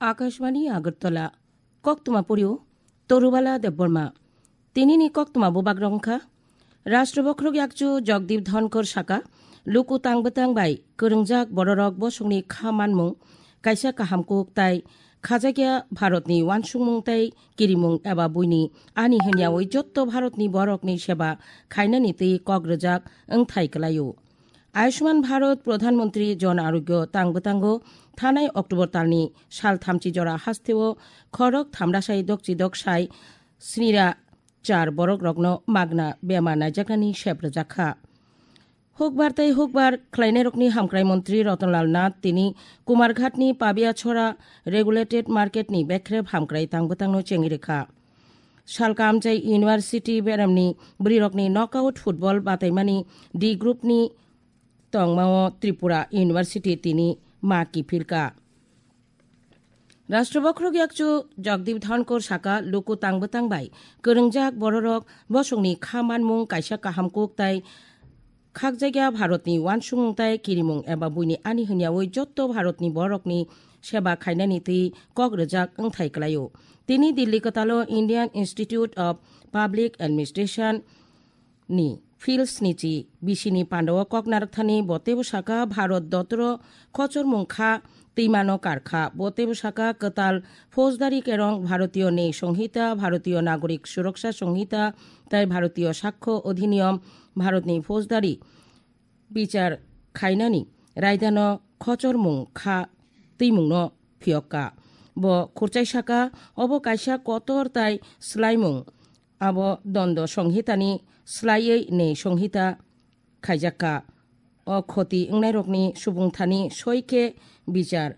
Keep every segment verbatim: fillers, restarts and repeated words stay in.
Akashvani Agartala. Koktwma purio Torubala Debbarma. Tinini koktwma bubagrok wngkha: Rashtra Bokhorok Yakchu Jagdeep Dhonkor saka, luku tangbwtang bai kwrwngjak bororok bosongni kha manmung, kaisa kaham kuk tai khajakya Bharatni uansukmung tai kirimung eba buini ani hwnyawi jotto Bharatni borokni seba khainani twi kok rwjak wngthai kwlaio. Ayushman Bharat Pradhan Mantri Jan Arogya tangbwtango thanai October talni sal thamchi jora hasteo khorok thamrasai dokchi doksai snira char borokrokno magna bemar naijaknani sep rwjakha. Hukbar tei hukbar khlainairokni hamkrai montri Ratanlal Nath tini Kumarghatni Pabiachora Regulated Marketni bekrep hamkrai tangbwtangno chengwi rwkha. Salka amchai University beramni bwrwirokni knockout football bataimani D groupni tongmao Tripura University tini ma kiphilka. Rashtra Bokhorok Yakchu Jagdeep Dhonkor saka, luku tangbwtang bai kwrwngjak bororok bosongni kha manmung kaisa kaham kuk tai khakjakya Bharatni uansukmung tai kirimung eba buini ani hwnyawi jotto Bharatni borokni seba khainani twi kok rwjak wngthai kwlaio. Tini Delhi kwtalo Indian Institute of Public Administration ni Phil Snichi bisini pandao kok narwkthani bo teibo saka Bharat dotoro khochormung kha twimano karkha. Bo teibo saka kwtal Faujdari Kerong, Bharatiyo Nyay Songhita, Bharatiyo Nagorik Suraksha Songhita tei Bharatiyo Sakho Odhiniyom Bharatni Faujdari bichar khainani raidano khochormung kha twimungno phiyokka. Bo khurchai saka, obo kaisa kotor tai swlaimung. Abo Dondo Songhitani swlaiwi Nyay Songhita khaijakka. O khoti wngnairokni subungthani soi khe bichar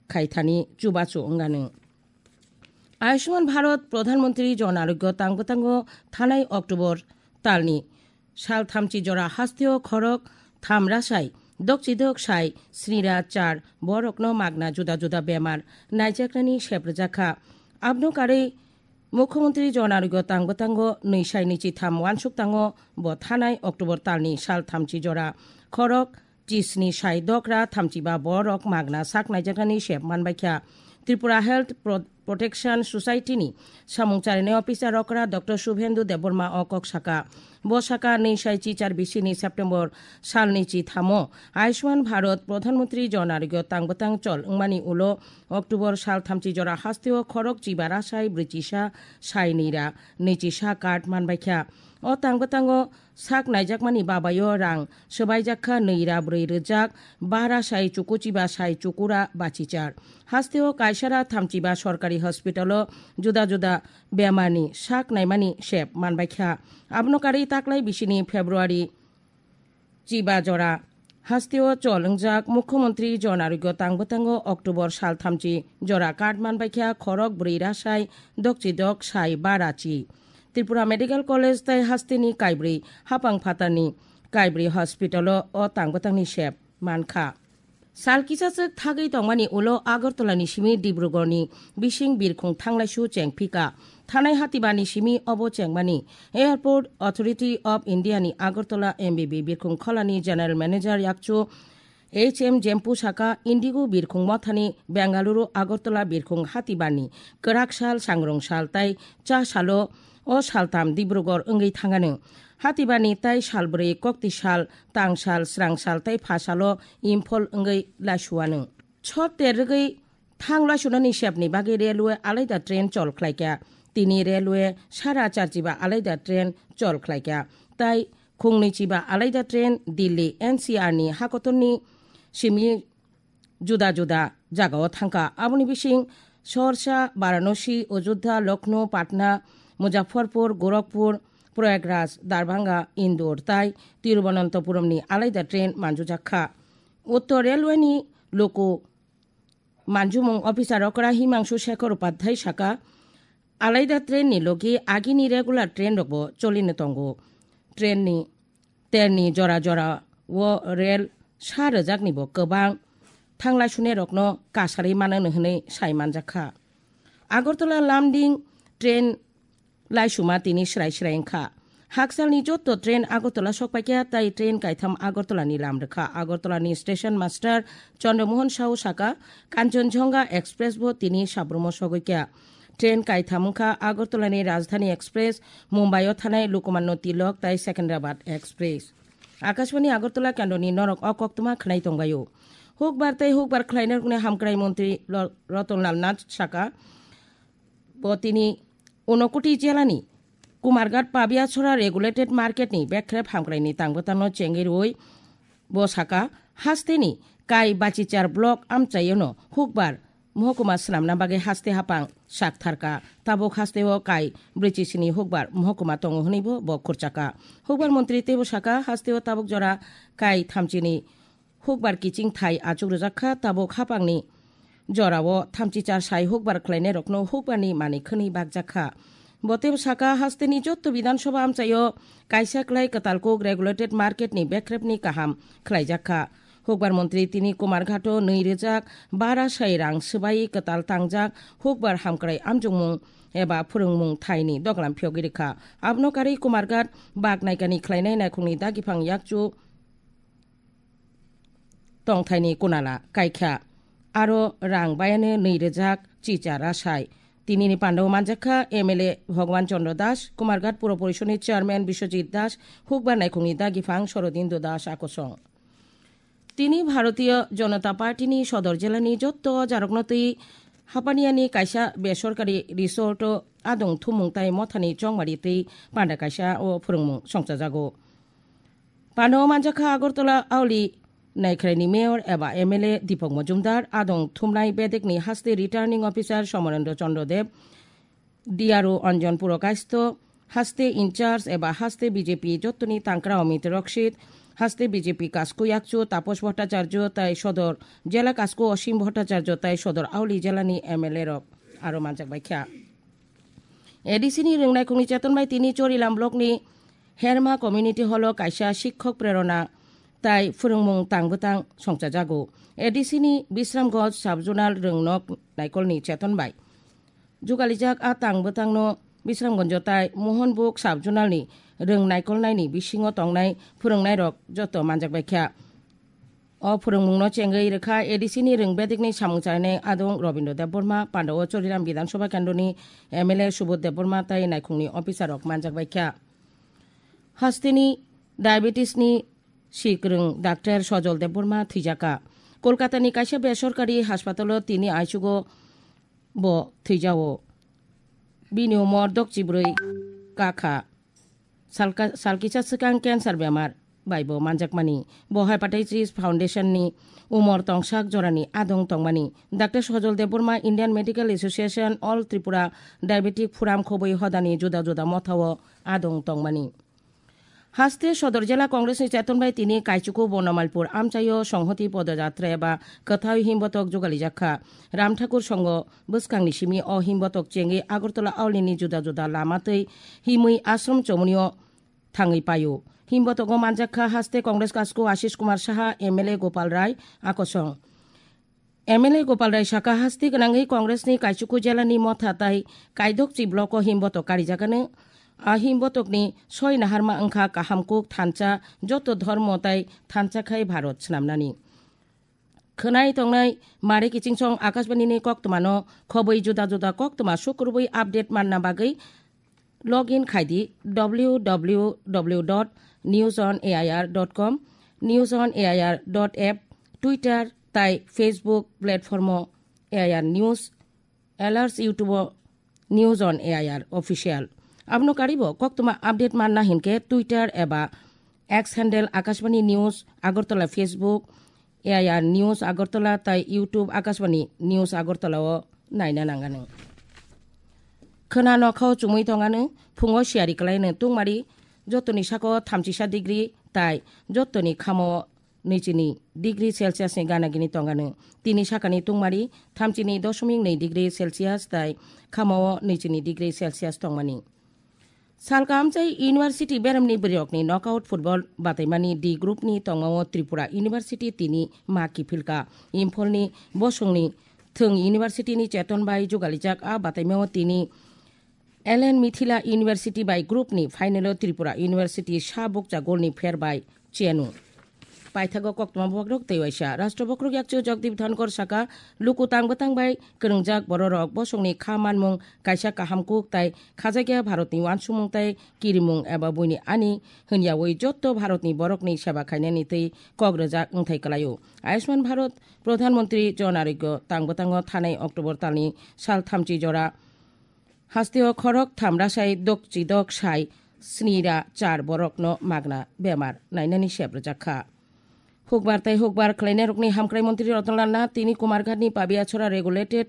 khaithani chubachu wngano. Ayushman Bharat Pradhan Mantri Jan Arogya tangbwtango thanai October talni sal thamchi jora hasteo khorok thamrasai dokchi doksai snira char borokno magna juda juda bemar naijaknani sep rwjakha. Abno karwi Mukhyamantri Jan Arogya tangbwtango nwi sai nwichi tham uansuk tango. Bo thanai October talni sal thamchi jora khorok chisni sai dokra thamchiba borok magna sak naijaknani sep manbaikha. Tripura Health Pro-, Protection Society ni samung charinai officer okra Doctor Subhendu Debbarma o kok saka. Bo saka nwi sai chichar bisini September salni chi thamo Ayushman Bharat Pradhan Mantri Jan Arogya tangbwtang chol wngmani ulo October sal thamchi jora hasteo khorok chiba rasai brwichisa sai nira nwichisa card manbaikha. O tangbwtango sak naijakmani babayo rang swbaijak kha nwi ra brwi rwjak bara sai chukuchiba sai chukura bachichar. Hasteo kaisara thamchiba sorkari hospitalo juda juda bemarni sak naimani sep manbaikha. Abono karwi taklai bisini February chiba jora hasteo chol wngjak Mukhyamantri Jan Arogya tangbwtango October sal thamchi jora card manbaikha khorok brwi rasai dokchi dok sai bara chi. Tripura Medical College tei hasteni kaibrwi hapang phatarni kaibrwi hospitalo o tangbwtangni sep mankha. Sal kisachwk thagwi tongmani ulo Agartala ni simi Dibrugarh ni bising birkhung thanglaisu chengphika. Thanai hatiba ni simi obo chengmani Airport Authority of India ni Agartala M B B birkhung kholani General Manager yakchu H M Jempu saka Indigo birkhung mothani Bengaluru Agartala birkhung hatibani kwrak sal, sangrong sal tei cha salo o saltham Dibrugarh wngwi thangano. Hatibani tei salbrwi kokti sal, tang sal, srang sal tei pha salo Imphal wngwi laisuano. Chhor ter rwgwi thang laisunani sepni bagwi railway alaida train chol khlaikha. Tini railway sara charchiba alaida train chol khlaikha. Tai khungnwi chiba alaida train Delhi N C R ni hakotorni simi juda juda jagao thangkha. Aboni bising Sorsa, Varanasi, Ajodhya, Lucknow, Patna, Muzaffarpur, Gorakhpur, Prayagraj, Darbhanga, Indore tai Tiruvananthapuramni alaida train manjujak kha. Uttor Railway ni luku manjumung officer okra Himangshu Shekhar Upadhyay saka, alaida train ni logi agini regular train rokbo cholino tongo. Train ni terni jora jora o rail sa rwjakni bo kwbang thanglai sune rokno kasarwi mano hwnwi sai manjak kha. Agartala Lumding train laisuma tini srai srai wngkha. Haksalni jotto train Agartala sokpaikha tai train kaitham Agartalani lam rwkha. Agartalani station master Chandramohan Sahu saka, Kanchanjunga Express bo tini Sabrumo sogwikha. Train kaitham wngkha Agartalani Rajdhani Express, Mumbai-o thanai Lokmanya Tilok tai Secunderabad Express. Akashbani Agartala kendroni norok o koktwma khwnai tongbaio. Hukbar tei hukbar khlainai rokni hamkrai montri Lo-, Ratan Lal Nath saka, bo tini Unakoti jelani Kumarghat Pabiachora regulated market ni bekrep hamkraini tangbwtangno chengwi rwui bo saka, hasteni Kai Bachichar block amchaiono hukbar mohokuma swnamna bagwi haste hapang saktharka. Tabuk hasteo Kai brichisini hukbar mohokuma tongo hwnwibo bo khurchaka. Hukbar montri teibo saka, hasteo tabuk jora Kai thamchini hukbar kiching thai achuk rwjak kha, tabuk hapangni jorao thamchi char sai hukbar khlainairokno hukbarni manwi khwnwi bakjak kha. Bo teibo saka, hasteni jotto Bidhan Sabha amchaio kaisa klai kwtal kuk regulated market ni bekrepni kaham khlaijak kha. Hukbar montri tini Kumarghato nwi rwjak bara sai rang swbai kwtal tangjak hukbar hamkrai amjokmung eba phwrwngmung thaini doglam phiyogwi rwkha. Abono karwi Kumarghat bak naikani khlainai naikhungni dagiphang yakchu tongthaini kunala kaikha. Aro rang bayano nwi rwjak chicha rasai. Tinini pandao manjakha M L A Bhagwan Chandra Das, Kumarghat Puro Porishodni Chairman Biswajit Das, hukbar naikhungni dagiphang Sorodindo Das akosong. Tini Bharatiya Janata Party ni Sodor jelani jotto jarokno twi Hapaniani kaisa besorkari resort o adong thumung tai mothani chongmari twi panda kaisa o phwrwngmung songchajago. Panda o manjakha Agartala Auli Naikhraini Mayor eba M L A Deepak Majumdar, adong thumnai bedekni haste Returning Officer Somonendra Chandra Deb, D R O Anjan Purokaisto, haste in charge eba haste B J P jottoni tangkra Amit Roksit, haste B J P Kasku Yakchu Tapos Bhattacharya tai Sodor Jela Kasku Osim Bhattacharya tai Sodor Auli Jelani M L A rok aro manjak baikha. A D C ni rwngnaikhungni cheton bai tini Chorilam block ni Herma Community Hall o kaisa sikhok prerona tai phwrwngmung tangbwtang songchajago. A D C ni Bisramganj Sub-Zonal Rwngnok Naikolni cheton bai jugalijak a tangbwtangno Bisramganjo tai Mohanbug Sub-Zonalni rwng naikolnaini bisingo tongnai phwrwngnairok joto manjakbaikha. O phwrwngmungno chengwi rwkha A D C ni rwng bedekni samung chainai adong Robindra Debbarma, pandao Choriram Bidhan Sabha Kendroni M L A Subodh Debbarma tai naikhungni officer rok manjakbaikha. Hasteni diabetes ni sikrwng Doctor Sojol Debbarma thwijaka. Kolkatani kaisa besorkari haspatalo tini aichugo bo thwijao. Bini umor dokchibrwi kakha. Salka-, salkisa swkang cancer bemar bai bo manjakmani. Bo Hepatitis Foundation ni umor tongsak jorani adong tongmani. Doctor Sojol Debbarma Indian Medical Association All Tripura Diabetic Forum khobwi hodani juda juda mothao adong tongmani. Haste Sodor Jela Congress ni cheton bai tini Kaichuku Bonomailpur amchaio Songhoti Podojatra eba kwthai himbotok jugalijak kha. Ram Thakur Songho bwskangni simi o himbotok chengwi Agartala Aulini juda juda lama twi himwi ashram chomunio thangwi paio. Himbotogo manjak kha haste Congress kasku Ashish Kumar Saha, M L A Gopal Rai, akosong. M L A Gopal Rai saka, hasti gwnangwi Congress ni Kaichuku Jela ni Motha tai Kaidokchi block o himbotok karijagano. A himbotok ni soi naharma wngkha kaham kuk thansa, joto dhormo tai thansa khai Bharat swnamnani. Khwnai tongnai mare kichingsong Akashbani ni koktwmano khobwi juda juda koktwma sukrubwi update manna bagwi log in khai di W W W dot news on A I R dot com, news on A I R dot app, Twitter tai Facebook platform o A I R News, Alerts YouTube o News on A I R Official. Abono karibo koktwma update manna hinkhe Twitter eba X handle Akashbani News Agartala, Facebook A I R News Agartala tai YouTube Akashbani News Agartala o naina nangano. Khwna nokhao chumui tongano, phungo siyari kwlaino tungmari jotoni sako thamchisa degree tai jotoni khamo nwichini degree Celsius ni gana gini tongano. Tini sakani tungmari thamchini dosomik nwi degree Celsius tai khamao nwichini degree Celsius tongmani. Salka amchai University beremni bwrwirokni knockout football bataimani D group ni tongmao Tripura University tini ma kiphilka. Imphalni bosongni thwng University ni cheton bai jugalijak a bataimao tini L N Mithila University bai group ni final o Tripura University sa bukcha gol ni pher bai chenu. Paithago koktma bokrok tei waisa. Rashtra bokrok yakchu Jagdeep Dhankar saka luku tang bwtang bai kwrwngjak bororok bosongni kha manmung kaisa kaham kuk tai khajakya Bharatni wansukmung tai kirimung eba buini ani hwnyawi jotto Bharatni borokni seba khainani tei kok rwjak wngthai kwlaio. Ayushman Bharat Pradhan Mantri Jan Arogya tang bwtango thanai October talni sal thamchi jora hasteo khorok tham rasai dok chi dok sai sni ra char borokno magna bemar nainani sep rwjak kha. Hukbar tei hukbar khlainairokni hamkrai mantri Ratan Lal Nath tini Kumarghatni Pabiachora regulated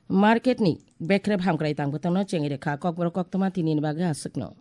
marketni bekrep hamkrai tang bwtangno chengwi rwkha. Kokborok koktwma tinini bagwi aswkno.